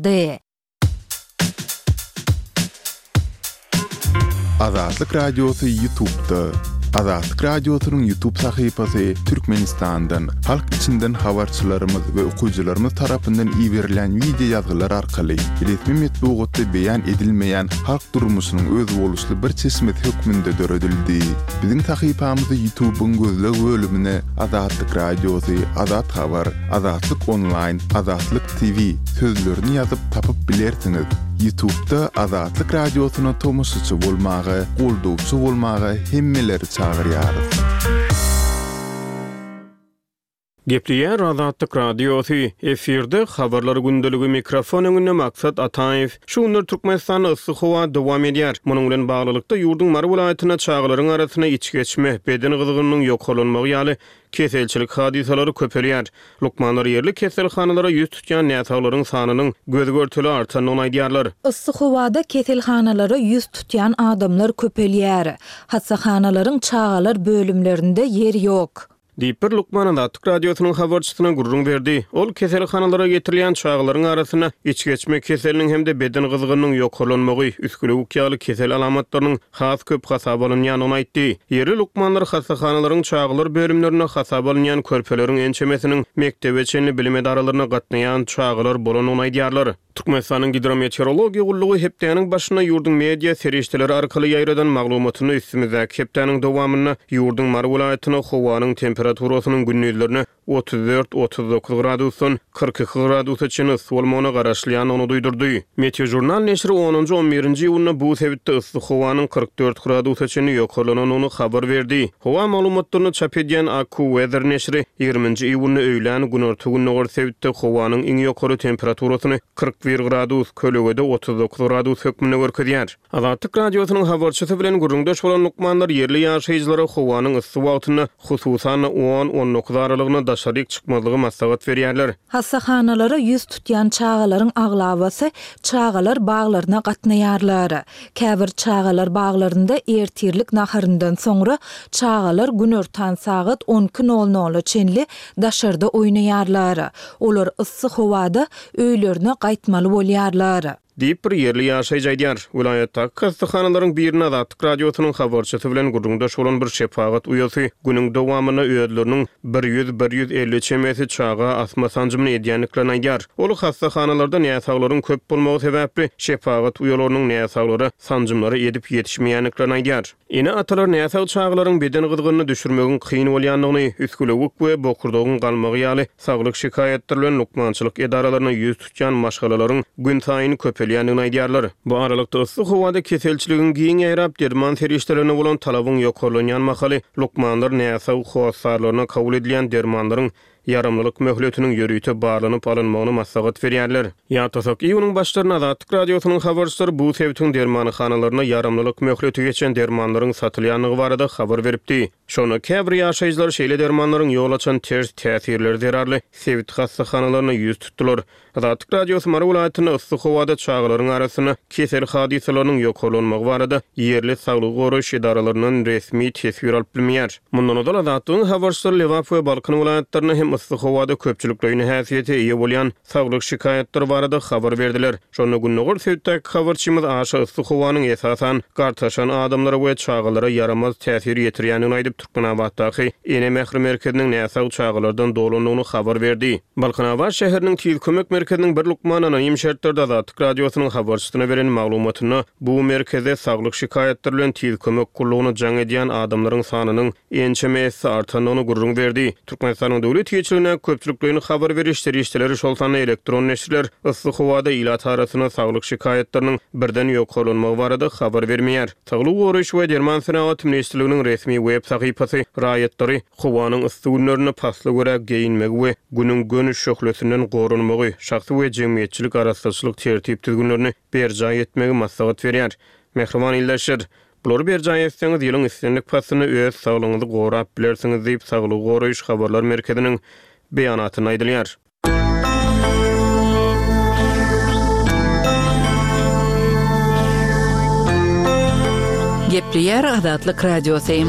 Dy. Azatlyk Radiosy Ýutubda. Azatlyk Radiosynyň Ýutub sahypasy Türkmenistandan, halk içinden habarçylarymyz we okyjylarymyz tarapyndan iberilýän wideo ýazgylar arkaly resmi metbugatda beýan edilmeýän halk durmuşynyň özboluşly bir çeşmesi hökmünde döredildi. Biziň sahypamyzy Ýutubyň gözleg bölümine Azatlyk Radiosy, Azat Habar, Azatlyk Onlaýn, Azatlyk TV sözlerini ýazyp tapyp bilersiňiz. Ýutubda Azatlyk Radiosyna tomaşaçy bolmaga, goldawçy bolmaga hemmeleri çagyrýarys. Gepleýär Azatlyk Radiosy, efirde Habarlar gündeligi, mikrofon öňünde Maksat Ataýew. Şu günler Türkmenistanda yssy howa dowam edýär. Munuň bilen baglylykda, ýurduň Mary welaýatynda çagalaryň arasynda içgeçme, beden gyzgynynyň ýokarlanmagy ýaly Keselçilik hadysalary köpelýär. Lukmanlar ýerli keselhanalara ýüz tutýan näsaglaryň sanynyň göz-görtele artandygyny aýdýarlar. Yssy howada keselhanalara ýüz tutýan adamlar köpelýär. Hassahanalaryň çagalar bölümlerinde ýer ýok. Diýip, bir lukman Azatlyk Radiosynyň habarçysyna gürrüň berdi. Ol keselhanalara getirilýän çagalaryň arasynda içgeçme keseliniň hem-de beden gyzgynynyň ýokarlanmagy, üsgülewük ýaly kesel alamatlarynyň has köp hasaba alynýandygyny aýtdy. Ýerli lukmanlar hassahanalaryň çagalar bölümlerinde hasaba alynýan körpeleriň ençemesiniň mekdebe çenli bilim edaralaryna gatnaýan çagalar bolandygyny aýdýarlar. Türkmenistanyň Gidrometeorologiýa gullugy hepdäniň başynda ýurduň media serişdeleri arkaly ýaýradan maglumatynda üstümizdäki hepdäniň dowamynda ýurduň Mary welaýatynda howanyň temperaturasynyň gündizlerine 34, 39 gradusdan 42 gradusa çenli yssy bolmagyna garaşylýandygyny duýdurdy. Meteožurnal neşiri onunjy, on birinji iýunda bu sebitde yssy howanyň 44 gradusa çenli ýokarlanandygyny habar berdi. Howa maglumatlaryny çap edýän AccuWeather neşiri ýigriminji iýunda öýlän günorta-gündogar sebitde howanyň iň ýokary temperaturasyny 41 gradus, kölegede 39 gradus hökmünde görkezýär. Azatlyk Radiosynyň habarçysy bilen gürrüňdeş bolan lukmanlar ýerli ýaşaýjylara howanyň yssy wagtynda, hususan-da, on, on dokuz aralygynda daşaryk çykmazlygy maslahat berýärler. Hassahanalara ýüz tutýan çagalaryň aglabasy çagalar baglaryna gatnaýarlar. Käbir çagalar baglarynda ertirlik naharyndan soňra çagalar günortan sagat on iki nol nola çenli daşarda oýnaýarlar. Olar yssy howada öýlerine gaýtmaly bolýarlar. Diýip, bir ýerli ýaşaýjy aýdýar. Welaýatdaky hassahanalaryň birinde Azatlyk Radiosynyň habarçysy bilen gürrüňdeş bolan bir şepagat uýasy günüň dowamynda özleriniň bir ýüz, bir 150 çemesi çaga asma sanjymyny edýändiklerini aýdýar. Ol hassahanalarda näsaglaryň köp bolmagy sebäpli, şepagat uýalarynyň näsaglara sanjymlary edip ýetişmeýändiklerini aýdýar. Ene-atalar näsag çagalaryň beden gyzgynyny düşürmegiň kyn bolýandygyny, üsgülewük we bokurdagyň galmagy ýaly saglyk şikaýatlary bilen lukmançylyk edaralaryna ýüz tutýan maşgalalaryň günsaýyn köpelýändigini aýdýarlar. Bu aralykda, yssy howada keselçiligiň giň ýaýrap, derman serişdelerine bolan talabyň ýokarlanýan mahaly, lukmanlar näsag hossarlaryna kabul edilýän dermanlaryň ýaramlylyk möhletiniň ýörite barlanyp alynmagyny maslahat berýärler. Ýatlasak, iýunyň başlarynda Azatlyk Radiosynyň habarçylary bu sebitiň dermanhanalarynda ýaramlylyk möhleti geçen dermanlaryň satylýandygy barada habar beripdi. Şonda käbir ýaşaýjylar şeýle dermanlaryň ýol açan ters täsirleri zerarly sebit hassahanalaryna ýüz tutdular. Azatlyk Radiosy Mary welaýatynda yssy howada çagalaryň arasynda kesel hadysalarynyň ýokarlanmagy barada ýerli saglygy goraýyş edaralaryndan resmi teswir alyp bilmeýär. Mundan ozal Azatlygyň habarçylary Lebap we Balkan welaýatlarynda hem yssy howada köpçülikleýin häsiýete eýe bolýan saglyk şikaýatlary barada habar berdiler. Şonda gündogar sebitdäki habarçymyz aşa yssy howanyň esasan gartaşan adamlara we çagalara ýaramaz täsir ýetirýändigini aýdyp, Türkmenabatdaky Ene mähri merkeziniň näsag çagalardan dolandygyny habar berdi. Balkanabat şäheriniň Tiz kömek merkeziniň bir lukmany anonim şertlerde Azatlyk Radiosynyň habarçysyna beren maglumatynda bu merkezde saglyk şikaýatlary bilen Tiz kömek gullugyna jaň edýän adamlaryň sanynyň ençeme esse artandygyny gürrüň berdi. Türkmenistanyň döwlet eýeçiligindäki köpçülikleýin habar beriş serişdeleri, şol sanda elektron neşirler yssy howada ilat arasynda saglyk şikaýatlarynyň birden ýokarlanmagy barada habar bermeýär. Saglygy goraýyş we derman senagaty ministrliginiň resmi web sahypasy raýatlary howanyň yssy günlerinde pasla görä geýinmegi we Günüň göni şöhlesinden goranmagy, şahsy we jemgyýetçilik arassaçylyk tertip-düzgünlerini berjaý etmegi maslahat berýär. Mähriban ildeşler! Bulary berjaý etseňiz, ýylyň islendik paslynda öz saglygyňyzy gorap bilersiňiz diýip, Saglygy goraýyş habarlar merkeziniň beýanatynda aýdylýar. Gepleýär Azatlyk Radiosy.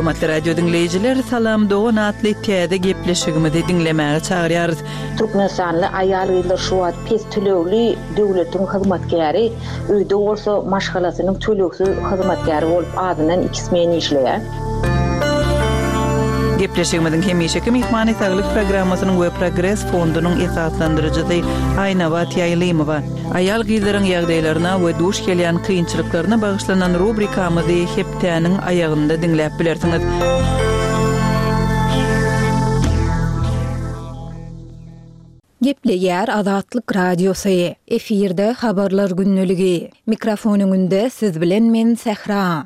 Hormatly radio diňleýjiler, Salam dogan atly täze gepleşigimizi diňlemäge çagyrýarys. Türkmenistanly aýal-gyzlar şu wagt pes tölegli döwletiň hyzmatkäri, öýde bolsa maşgalasynyň tölegsiz hyzmatkäri bolup azyndan iki smen işleýär. Gepleşigimiziň hemişeki myhmany Saglyk programmasynyň we Progres fondunyň esaslandyryjysy Aýnabat Ýaýlymowa. Aýal-gyzlaryň ýagdaýlaryna we duş gelýän kynçylyklaryna bagyşlanan rubrikamyzy hepdäniň aýagynda diňläp bilersiňiz. Gepleýär Azatlyk Radiosy, efirde Habarlar gündeligi. Mikrofon öňünde siz bilen men Sähra.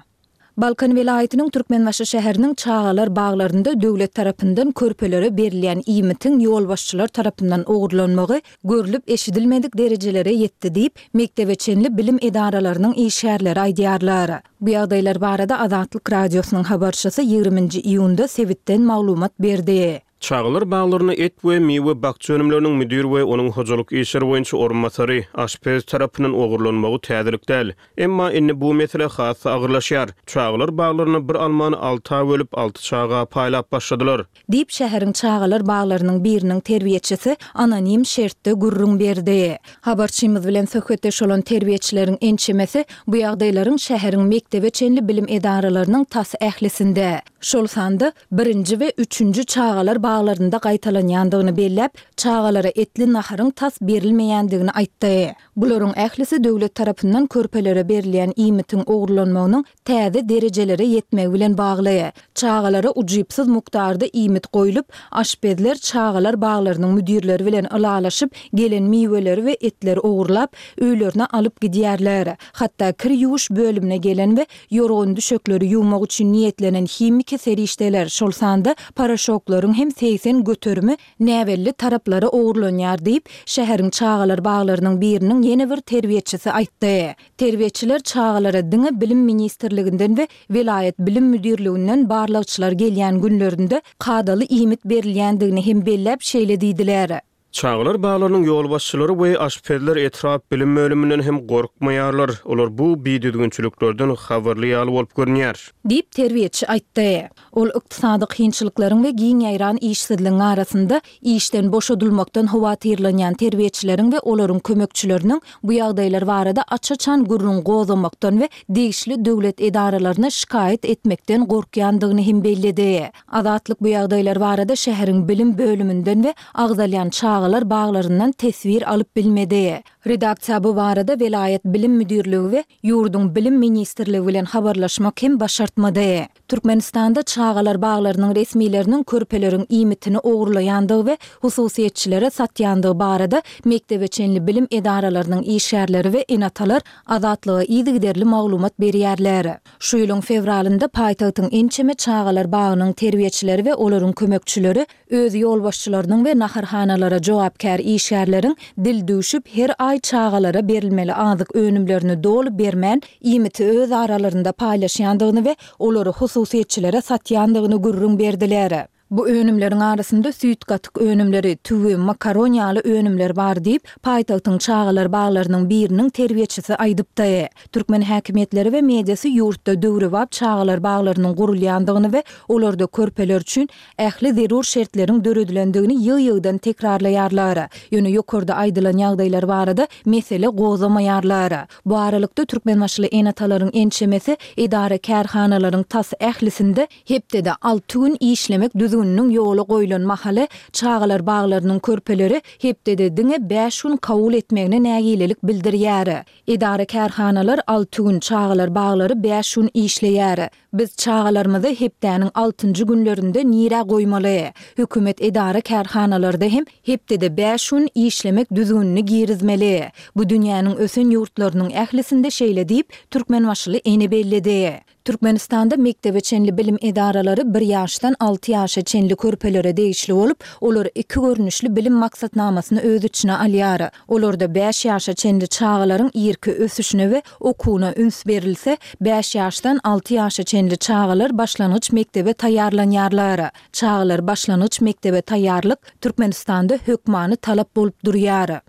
Balkan welaýatynyň Türkmenbaşy şäheriniň çagalar baglarynda döwlet tarapyndan körpelere berilýän iýmitiň ýolbaşçylar tarapyndan ogurlanmagy görlüp-eşidilmedik derejelere ýetdi diýip, mekdebe çenli bilim edaralarynyň işgärleri aýdýarlar. Bu ýagdaýlar barada Azatlyk Radiosynyň habarçysy ýigriminji iýunda sebitden maglumat berdi. Çagalar baglarynda et we miwe bakja önümleriniň müdir we onuň hojalyk işleri boýunça orunbasary, aşpez tarapyndan ogurlanmagy täzelik däl. Emma indi bu mesele has-da agyrlaşýar. Çagalar baglarynda bir almany alta bölüp, alty çaga paýlap başladylar. Diýip, şäheriň çagalar baglarynyň biriniň terbiýeçisi anonim şertde gürrüň berdi. Habarçymyz bilen söhbetdeş bolan terbiýeçileriň ençemesi bu ýagdaýlaryň şäheriň mekdebe çenli bilim edaralarynyň tas ählisinde, şol sanda birinji we üçünji çagalar baglarynda gaýtalanýandygyny belläp, çagalara etli naharyň tas berilmeýändigini aýtdy. Bularyň ählisi döwlet tarapyndan körpelere berilýän iýmitiň ogurlanmagynyň täze derejelere ýetmegi bilen bagly. Çagalara ujypsyz mukdarda iýmit goýlup, aşpezler çagalar baglarynyň müdirleri bilen ylalaşyp, gelen miweleri we etleri ogurlap, öýlerine alyp gidýärler. Hatda kir ýuwuş bölümine gelen we Ýorgan-düşekleri ýuwmak üçin niýetlenen himiki serişdeler, şol sanda poroşoklaryň hem 80 göterimi näbelli taraplara ogurlanýar diýip, şäheriň çagalar baglarynyň biriniň ýene bir terbiýeçisi aýtdy. Terbiýeçiler çagalara diňe Bilim ministrliginden we welaýat bilim müdirliginden barlagçylar gelýän günlerinde kadaly iýmit berilýändigini hem belläp şeýle diýdiler. Çagalar baglarynyň ýolbaşçylary we aşpezler etrap bilim bölüminden hem gorkmaýarlar. Olar bu bidüzgünçiliklerden habarly ýaly bolup görünýär. Diýip, terbiýeçi aýtdy. Ol ykdysady kynçylyklaryň we giň ýaýran işsizligiň arasynda işden boşadylmakdan howatyrlanýan terbiýeçileriň we olaryň kömekçileriniň bu ýagdaýlar barada aç-açan gürrüň gozgamakdan we degişli döwlet edaralaryna şikaýat etmekden gorkýandygyny hem belledi. Azatlyk bu ýagdaýlar barada şäheriň bilim bölüminden we agzalýan çagalar baglaryndan teswir alyp bilmedi. Redaksiýa bu barada welaýat bilim müdirligi we ýurduň Bilim ministrligi bilen habarlaşmak hem başartmady. Türkmenistanda çagalar baglarynyň resmileriniň körpeleriň iýmitini ogurlaýandygy we hususyýetçilere satýandygy barada mekdebe çenli bilim edaralarynyň işgärleri we ene-atalar Azatlyga yzygiderli maglumat berýärler. Şu ýylyň fewralynda paýtagtyň ençeme çagalar bagynyň terbiýeçileri we olaryň kömekçileri öz ýolbaşçylarynyň we naharhanalara jogapkär işgärleriň dil düwşüp her aý çagalara berilmeli azyk önümlerini doly bermän iýmiti öz aralarynda paýlaşýandygyny we olary hususyýetçilere satýandygyny gürrüň berdiler. Bu önümleriň arasynda süýt-gatyk önümleri, tüwi, makaron ýaly önümler bar diýip, paýtagtyň çagalar baglarynyň biriniň terbiýeçisi aýdypdy. Türkmen häkimiýetleri we mediasy ýurtda döwrebap çagalar baglarynyň gurulýandygyny we olarda körpeler üçin ähli zerur şertleriň döredilendigini ýygy-ýygydan tekrarlaýarlar. Ýöne ýokarda aýdylan ýagdaýlar barada mesele gozgamaýarlar. Bu aralykda, türkmenbaşyly ene-atalaryň ençemesi edara-kärhanalaryň tas ählisinde Hepdede alty gün işlemek düzgüniniň ýola goýlan mahaly çagalar baglarynyň körpeleri hepdede diňe bäş gün kabul etmegine nägilelik bildirýär. Edara-kärhanalar alty gün, çagalar baglary bäş gün işleýär. Biz çagalarymyzy hepdäniň altynjy günlerinde nirä goýmaly? Hökümet edara-kärhanalarda hem hepdede bäş gün işlemek düzgünini girizmeli. Bu dünýäniň ösen ýurtlarynyň ählisinde şeýle diýip, türkmenbaşyly ene belledi. Türkmenistanda mekdebe çenli bilim edaralary bir ýaşdan alty ýaşa çenli körpelere degişli bolup, olar iki görnüşli bilim maksatnamasyny öz içine alýar. Olarda bäş ýaşa çenli çagalaryň irki ösüşine we okuwyna üns berilse, bäş ýaşdan alty ýaşa çenli çagalar başlangyç mekdebe taýýarlanýarlar. Çagalar başlangyç mekdebe taýýarlyk Türkmenistanda hökmany talap bolup durýar.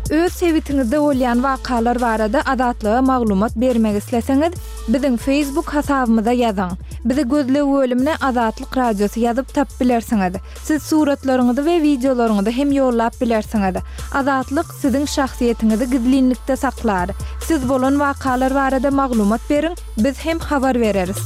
Öz sebitiňizde bolýan wakalar barada Azatlyga maglumat bermek isleseňiz, biziň Facebook hasabymyza ýazyň. Bizi gözleg bölümine Azatlyk Radiosy ýazyp tapyp bilersiňiz. Siz suratlaryňyzy we wideolaryňyzy hem ýollap bilersiňiz. Azatlyk siziň şahsyýetiňizi gizlinlikde saklar. Siz bolan wakalar barada maglumat beriň, biz hem habar bereris.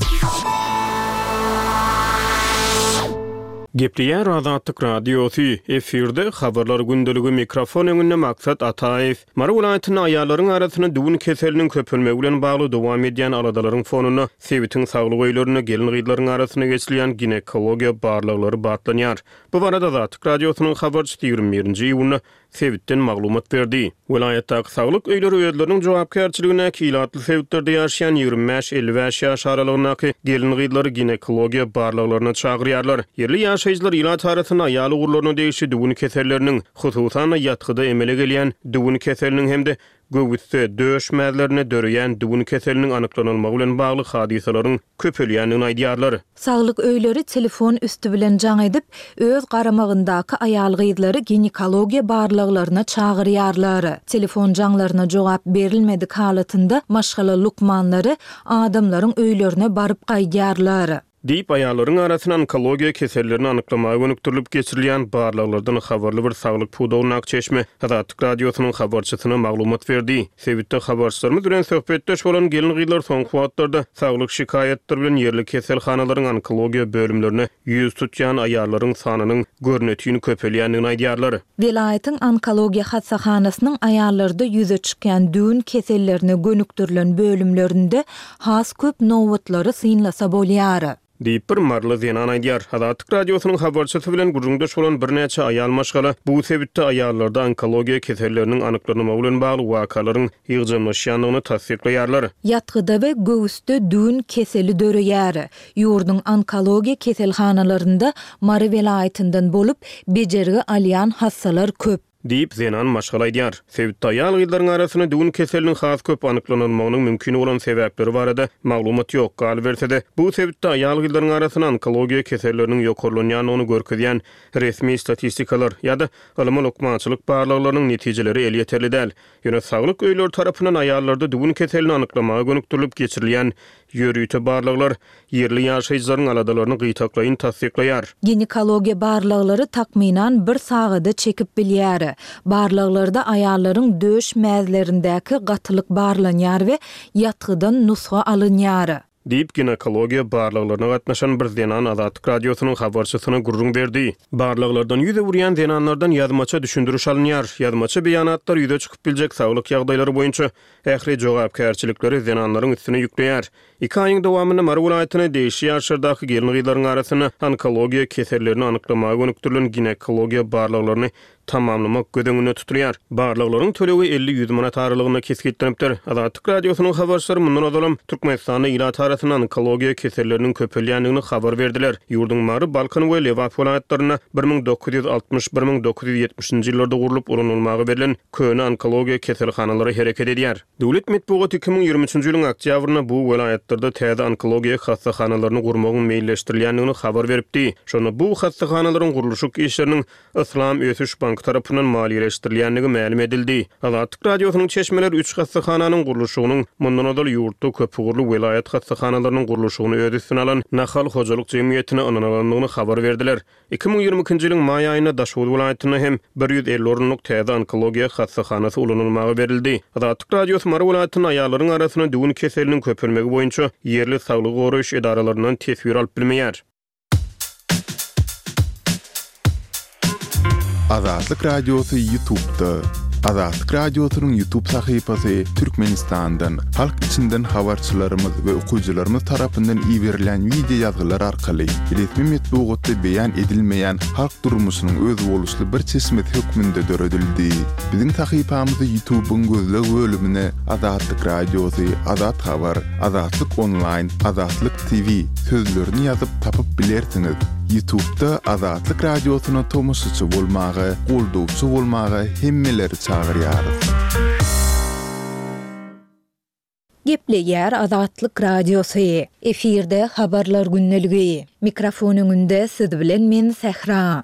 Gepleýär Azatlyk Radiosy, efirde Habarlar gündeligi mikrofon öňünde Maksat Ataýew. Mary welaýatynda aýallaryň arasynda düwün keseliniň köpelmegi bilen bagly dowam edýän aladalaryň fonunda sebitiň saglyk öýlerinde gelin-gyzlaryň arasynda geçirilýän ginekologiýa barlaglary batlanýar. Bu barada Azatlyk Radiosynyň habarçysy 21-nji iýunda sebitden maglumat berdi. Welaýatdaky saglyk öýleri özleriniň jogapkärçiligindäki ilatly sebitlerde ýaşaýan 25, 55 ýaş aralygyndaky gelin-gyzlary ginekologiýa barlaglaryna çagyrýarlar. Ýerli ýaşaýjylar ilat arasynda aýal ugurlaryna degişli düwün keselleriniň, hususan-da, ýatgyda emele gelýän düwün keseliniň hem-de göwüsde, döş mäzlerinde döreýän düwün keseliniň anyklanylmagy bilen bagly hadysalaryň köpelýändigini aýdýarlar. Saglyk öýleri telefon üsti bilen jaň edip, öz garamagyndaky aýal-gyzlary ginekologiýa barlaglaryna çagyrýarlar. Telefon jaňlaryna jogap berilmedik halatynda maşgala lukmanlary adamlaryň öýlerine baryp gaýdýarlar. Diýip, aýallaryň arasynda onkologiýa kesellerini anyklamaga gönükdirilip geçirilýän barlaglardan habarly bir saglyk pudagyndaky çeşme Azatlyk Radiosynyň habarçysyna maglumat berdi. Sebitde habarçylarymyz bilen söhbetdeş bolan gelin-gyzlar soňky wagtlarda saglyk şikaýatlary bilen ýerli keselhanalaryň onkologiýa bölümlerine ýüz tutýan aýallaryň sanynyň görnetin köpelýändigini aýdýarlar. Welaýatyň onkologiýa hassahanasynyň aýallarda ýüze çykýan düwün kesellerine gönükdirilen bölümlerinde has köp nobatlary synlasa bolýar. Diýip, bir maryly zenan aýdýar. Azatlyk Radiosynyň habarçysy bilen gürrüňdeş bolan birnäçe aýal maşgala bu sebitde aýallarda onkologiýa keselleriniň anyklanylmagy bilen bagly wakalaryň ýygjamlaşýandygyny tassyklaýarlar. Ýatgyda we göwüsde düwün keseli döreýär. Ýurduň onkologiýa keselhanalarynda Mary welaýatyndan bolup, bejergi alýan hassalar köp. Diýip, zenan maşgala aýdýar. Sebitde aýal-gyzlaryň arasynda düwün keseliniň has köp anyklanylmagynyň mümkin bolan sebäpleri barada maglumat ýok. Galyberse-de, bu sebitde aýal-gyzlaryň arasynda onkologiýa keselleriniň ýokarlanýandygyny görkezýän resmi statistikalar ýa-da ylmy-lukmançylyk barlaglarynyň netijeleri elýeterli däl. Ýöne saglyk öýleri tarapyndan aýallarda düwün keselini anyklamaga gönükdirilip geçirilýän ýörite barlaglar ýerli ýaşaýjylaryň aladalaryny gytaklaýyn tassyklaýar. Ginekologiýa barlaglary takmynan bir sagada çekip bilýär. Barlaglarda aýallaryň döş mäzlerindäki gatylyk barlanýar we ýatgydan nusga alynýar. Diýip, ginekologiýa barlaglaryna gatnaşan bir zenan Azatlyk Radiosynyň habarçysyna gürrüň berdi. Barlaglardan ýüz öwürýän zenanlardan ýazmaça düşündiriş alynýar. Ýazmaça beýanatlar ýüze çykyp biljek saglyk ýagdaýlary boýunça ähli jogapkärçilikleri zenanlaryň üstüne ýükleýär. Iki aýyň dowamynda Mary welaýatyna degişli ýaşlardaky gelin-gyzlaryň arasynda onkologiýa kesellerini anyklamaga gönükdirilen ginekologiýa barlaglaryny tamamlamak göz öňünde tutulýar. Barlaglaryň tölegi 50-100 manat aralygynda kesgitlenipdir. Azatlyk Radiosynyň habarçylary mundan ozalam Türkmenistanda ilat arasynda onkologiýa keselleriniň köpelýändigini habar berdiler. Ýurduň Mary, Balkan we Lebap welaýatlarynda 1960, 1970-nji ýyllarda gurlup ulanylmaga berlen köne onkologiýa keselhanalary hereket edýär. Döwlet metbugaty 2023-nji ýylyň oktýabrynda bu welaýatlarda täze onkologiýa hassahanalaryny gurmagyň meýilleşdirilýändigini habar beripdi. Şonda bu hassahanalaryň gurluşyk işleriniň Yslam ösüş banky tarapyndan maliýeleşdirilýändigi mälim edildi. Azatlyk Radiosynyň çeşmeleri üç hassahananyň gurluşygynyň mundan ozal ýurtda köpugurly welaýat hassahanalarynyň gurluşygyny öz üstüne alan Nahal hojalyk jemgyýetine ynanylandygyny habar berdiler. 2022-nji ýylyň maý aýynda Daşoguz welaýatynda hem 150 orunlyk täze onkologiýa hassahanasy ulanylmaga berildi. Azatlyk Radiosy Mary welaýatynda aýallaryň arasynda düwün keseliniň köpelmegi boýunça ýerli saglygy goraýyş edaralaryndan teswir alyp bilmeýär. Azatlyk Radiosy Ýutubda. Azatlyk Radiosynyň Ýutub sahypasy Türkmenistandan, halk içinden habarçylarymyz we okyjylarymyz tarapyndan iberilýän wideo ýazgylar arkaly resmi metbugatda beýan edilmeýän halk durmuşynyň özboluşly bir çeşmesi hökmünde döredildi. Biziň sahypamyzy Ýutubyň gözleg bölümine Azatlyk Radiosy, Azat Habar, Azatlyk Onlaýn, Azatlyk TV sözlerini ýazyp tapyp bilersiňiz. Ýutubda Azatlyk Radiosyna tomaşaçy bolmaga, goldawçy bolmaga hemmeleri çagyrýarys. Gepleýär Azatlyk Radiosy. Efirde Habarlar gündeligi. Mikrofon öňünde siz bilen men Sähra.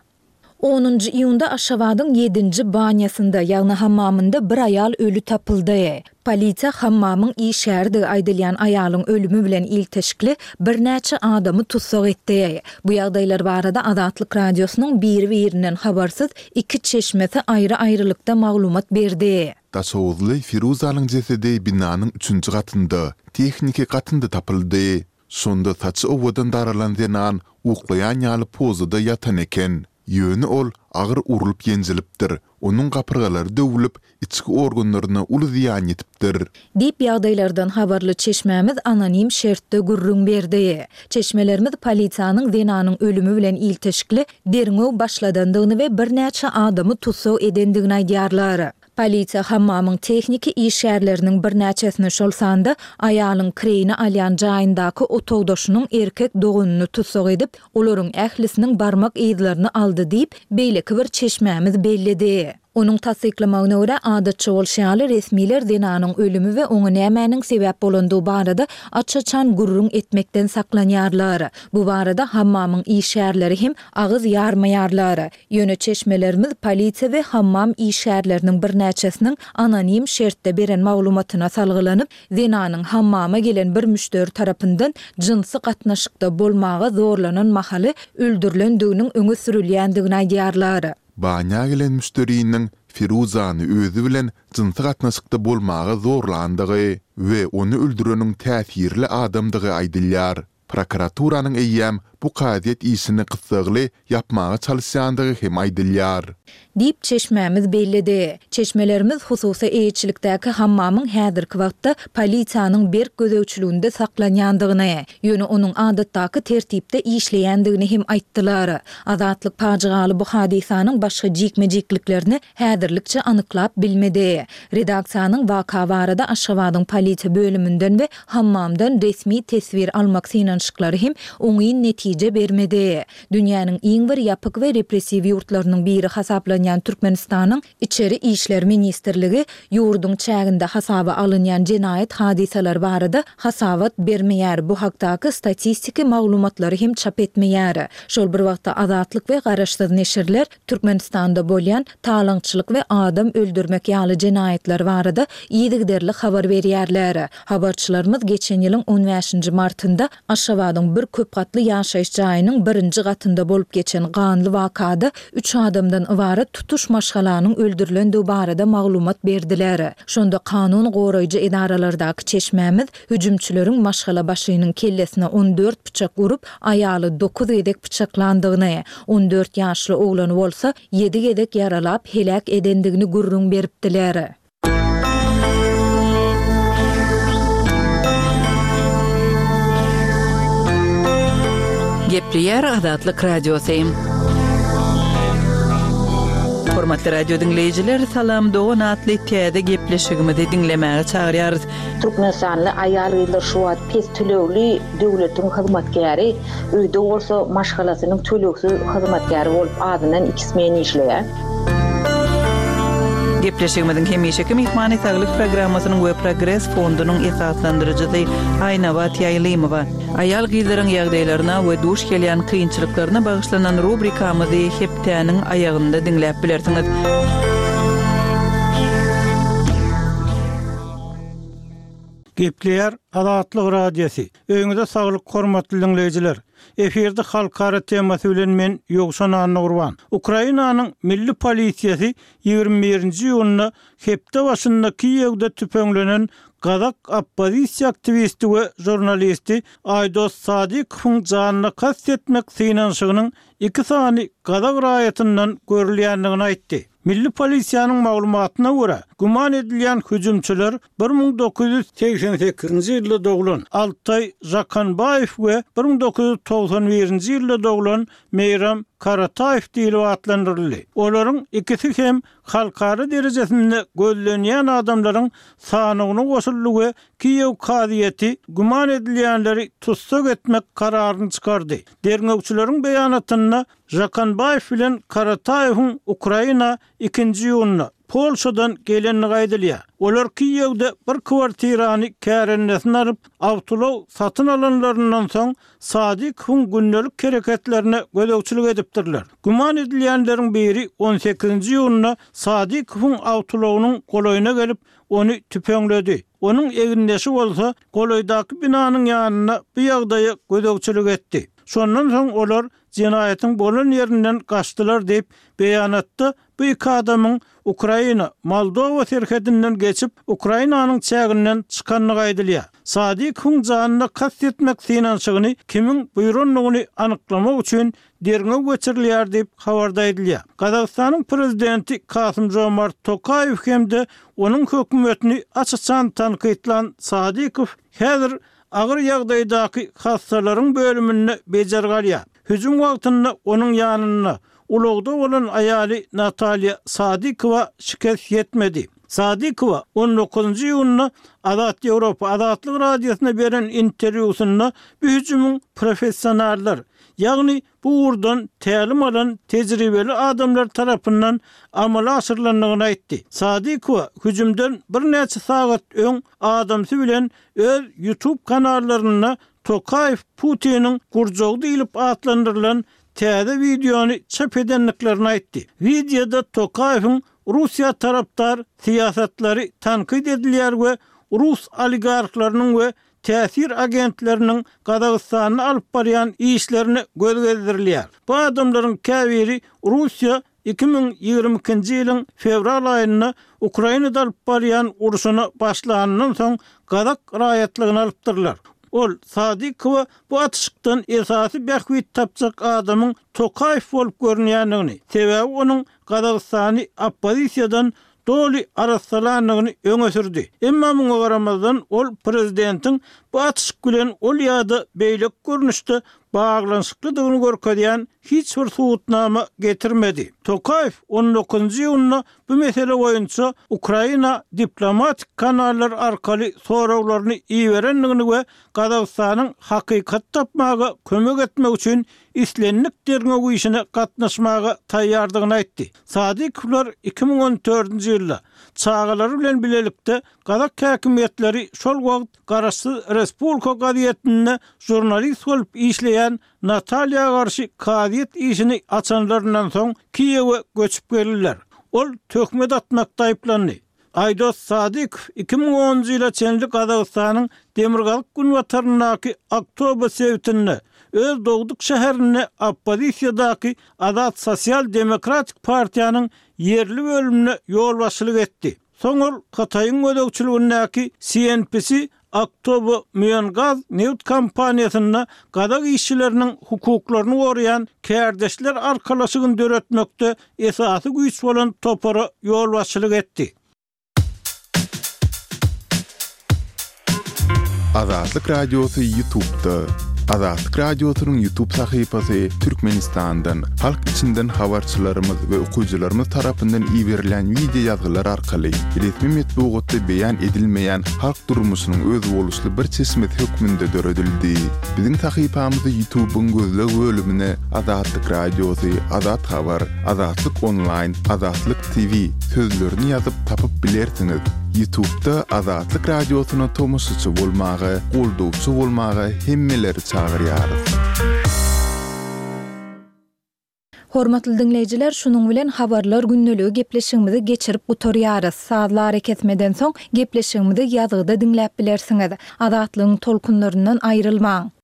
Onunjy iýunda Aşgabadyň ýedinji banýasynda, ýagny hammamynda bir aýal öli tapyldy. Polisiýa hammamyň işgäridigi aýdylýan aýalyň ölümi bilen ilteşikli birnäçe adamy tussag etdi. Bu ýagdaýlar barada Azatlyk Radiosynyň biri-birinden habarsyz iki çeşmesi aýry-aýrylykda maglumat berdi. Daşoguzly Firuzanyň jesedi binanyň üçünji gatynda, tehniki gatynda tapyldy. Şonda saçy owadan daralan zenan uklaýan ýaly pozada ýatan eken. Ýöne ol agyr urlup ýenjilipdir, onuň gapyrgalary döwlüp, içki organlaryna uly zyýan ýetipdir. Diýip, ýagdaýlardan habarly çeşmämiz anonim şertde gürrüň berdi. Çeşmelerimiz polisiýanyň zenanyň ölümi bilen ilteşikli derňew başladandygyny we birnäçe adamy tussag edendigini aýdýarlar. Polisiýa hammamyň tehniki işgärleriniň birnäçesini, şol sanda aýalyň kireýine alýan jaýyndaky otagdaşynyň erkek doganyny tussag edip, olaryň ählisiniň barmak yzlaryny aldy diýip, beýleki bir çeşmämiz belledi. Onuň tassyklamagyna görä, adatça bolşy ýaly, resmiler zenanyň ölümi we oňa nämäniň sebäp bolandygy barada aç-açan gürrüň etmekden saklanýarlar. Bu barada hammamyň işgärleri hem agyz ýarmaýarlar. Ýöne çeşmelerimiz polisiýa we hammam işgärleriniň birnäçesiniň anonim şertde beren maglumatyna salgylanyp, zenanyň hammama gelen bir müşderi tarapyndan jynsy gatnaşykda bolmaga zorlanan mahaly öldürilendiginiň öňe sürülýändigini aýdýarlar. Banýa gelen müşderiniň Firuzany özi bilen jynsy gatnaşykda bolmaga zorlandygy we ony öldüreniň täsirli adamdygy aýdylýar. Prokuraturanyň eýýäm bu kazyýet işini gyssagly ýapmaga çalyşýandygy hem aýdylýar. Diýip, çeşmämiz belledi. Çeşmelerimiz hususy eýeçilikdäki hammamyň häzirki wagtda polisiýanyň berk gözegçiliginde saklanýandygyny, ýöne onuň adatdaky tertipde işleýändigini hem aýtdylar. Azatlyk pajygaly bu hadysanyň başga jikme-jikliklerini häzirlikçe anyklap bilmedi. Redaksiýanyň waka barada Aşgabadyň polisiýa bölüminden we hammamdan resmi teswir almak synanyşyklary hem oňyn netije bermedi. Dünýäniň iň bir ýapyk we repressiw ýurtlarynyň biri hasaplanýan Türkmenistanyň Içeri işler ministrligi ýurduň çäginde hasaba alynýan jenaýat hadysalary barada hasabat bermeýär, bu hakdaky statistiki maglumatlary hem çap etmeýär. Şol bir wagtda Azatlyk we garaşsyz neşirler Türkmenistanda bolýan talaňçylyk we adam öldürmek ýaly jenaýatlar barada yzygiderli habar berýärler. Habarçylarymyz geçen ýylyň on bäşinji martynda Aşgabadyň bir köp gatly ýaşaýyş jaýynyň birinji gatynda bolup geçen ganly wakada üç adamdan ybarat tutuş maşgalanyň öldürilendigi barada maglumat berdiler. Şonda kanun goraýjy edaralardaky çeşmämiz Hüjümçileriň maşgalabaşynyň kellesine 14 pyçak urup, aýaly dokuz gezek pyçaklandygyny, 14 ýaşly oglany bolsa ýedi gezek ýaralap heläk edendigini gürrüň beripdiler. Gepleýär Azatlyk Radiosy. Hormatly radio diňleýjiler, Salam dogan atly täze gepleşigimizi diňlemäge çagyrýarys. Türkmenistanly aýal-gyzlar şu wagt pes tölegli döwletiň hyzmatkäri, öýde bolsa maşgalasynyň tölegsiz hyzmatkäri bolup azyndan iki smen işleýär. Gepleşigimiziň hemişeki myhmany Saglyk programmasynyň we Progres fondunyň esaslandyryjysy Aýnabat Ýaýlymowa. Aýal-gyzlaryň ýagdaýlaryna we duş gelýän kynçylyklaryna bagyşlanan rubrikamyzy hepdäniň aýagynda diňläp bilersiňiz. Gepleýär Azatlyk Radiosy. Öýüňize saglyk hormatly diňleýjiler. Efirde halkara temasy bilen men Ýowşan Annagurban. Ukrainanyň milli polisiýasy 21-nji iýunda hepde başynda Kiýewde tüpeňlenen gazak oppozisiýa aktiwisti we žurnalisti Aýdos Sadykowyň janyna kast etmek synanyşygynyň iki sany gazak raýatyndan görülýändigini aýtdy. Milli polisiýanyň maglumatyna görä, güman edilýän hüjümçiler 1988-nji ýylda doglan Altaý Žakanbaýew we 1991-nji ýylda doglan Meýram Karataýew diýlip atlandyryldy. Olaryň ikisi hem halkara derejesinde gözlenýän adamlaryň sanawyna goşuldy we Kiýew kazyýeti güman edilýänleri tussag etmek kararyny çykardy. Derňewçileriň beýanatynda Žakanbaýew bilen Karataýewiň Ukraina ikinji iýunda, Polşadan gelendigi aýdylýar. Olar Kiýewde bir kwartirany kärendesine alyp, awtoulag satyn alanlaryndan soň, Sadykowyň gündelik hereketlerine gözegçilik edipdirler. Güman edilýänleriň biri on sekizinji iýunda Sadykowyň awtoulagynyň golaýyna gelip, ony tüpeňledi. Onuň egindeşi bolsa golaýdaky binanyň ýanynda bu ýagdaýa gözegçilik etdi. Şondan soň olar jenaýatyň bolan ýerinden gaçdylar diýip, beýanatda bu iki adamyň Ukraina, Moldowa serhedinden geçip, Ukrainanyň çäginden çykandygy aýdylýar. Sadykowyň janyna kast etmek synanyşygyny kimiň buýrandygyny anyklamak üçin derňew geçirilýär diýip, habarda aýdylýar. Gazagystanyň prezidenti Kasym-Žomart Tokaýew hem-de onuň hökümetini aç-açan tankytlan Sadykow häzir agyr ýagdaýdaky hassalaryň bölüminde bejergi alýar. Hüjüm wagtynda onuň ýanynda ulagda bolan aýaly Natalýa Sadykowa şikes ýetmedi. Sadykowa on dokuzynjy iýunda Azat Ýewropa Azatlyk Radiosyna beren interwýusynda bu hüjümiň professionallar, ýagny bu ugurdan tälim alan tejribeli adamlar tarapyndan amala aşyrylandygyny aýtdy. Sadykowa hüjümden birnäçe sagat öň adamsy bilen öz YouTube kanallarynda Tokaýew Putiniň gurjagy diýlip atlandyrylan täze wideony çap edendiklerini aýtdy. Wideoda Tokaýewiň Russiýa tarapdar syýasatlary tankyt edilýär we rus oligarhlarynyň we täsir agentleriniň Gazagystanda alyp barýan işlerine göz gezdirilýär. Bu adamlaryň käbiri Russiýa 2022-nji ýylyň fewral aýynda Ukrainada alyp barýan urşuna başlanyndan soň gazak raýatlygyny alypdyrlar. Ol Sadykowa bu atyşykdan esasy bähbit tapjak adamyň Tokaýew bolup görünýändigini, sebäbi onuň Gazagystany oppozisiýadan doly arassalandygyny öňe sürdi. Emma muňa garamazdan, ol prezidentiň bu atyşyk bilen ol ýa-da beýleki görnüşde baglanyşyklydygyny görkezýän hiç bir subutnama getirmedi. Tokaýew on dokuzynjy iýunda bu mesele boýunça Ukraina diplomatik kanallar arkaly soraglaryny iberendigini we Gazagystanyň hakykaty tapmaga kömek etmek üçin islendik derňew işine gatnaşmaga taýýardygyny aýtdy. Sadykowlar 2014-nji ýylda çagalary bilen bilelikde gazak häkimiýetleri şol wagt garaşsyz Respublika gazetinde žurnalist bolup işleýän Natalýa garşy kazyýet işini açanlaryndan soň Kiýewe göçüp geldiler. Ol töhmet atmakda aýyplandy. Aýdos Sadykow 2010-njy ýyla çenli Gazagystanyň demirgazyk-günbataryndaky Aktobe sebitinde, öz dogduk şäherinde oppozisiýadaky Azat sosial-demokratik partiýanyň ýerli bölümine ýolbaşçylyk etdi. Soň ol Hytaýyň gözegçiligindäki CNPC Aktobe Müengaz nebit kompaniýasynda gazak işçileriniň hukuklaryny goraýan kärdeşler arkalaşygyny döretmekde esasy güýç bolan topara ýolbaşçylyk etdi. Azatlyk Radiosy Ýutubda. Azatlyk Radiosynyň Ýutub sahypasy Türkmenistandan, halk içinden habarçylarymyz we okyjylarymyz tarapyndan iberilýän wideo ýazgylar arkaly resmi metbugatda beýan edilmeýän halk durmuşynyň özboluşly bir çeşmesi hökmünde döredildi. Biziň sahypamyzy Ýutubyň gözleg bölümine Azatlyk Radiosy, Azat Habar, Azatlyk Onlaýn, Azatlyk TV sözlerini ýazyp tapyp bilersiňiz. Ýutubda Azatlyk Radiosyna tomaşaçy bolmaga, goldawçy bolmaga hemmeleri çagyrýarys. Hormatly diňleýjiler, şunuň bilen Habarlar gündeligi gepleşigimizi geçirip gutarýarys. Sazly arakesmeden soň gepleşigimizi ýazgyda diňläp bilersiňiz. Azatlygyň tolkunlaryndan aýrylmaň!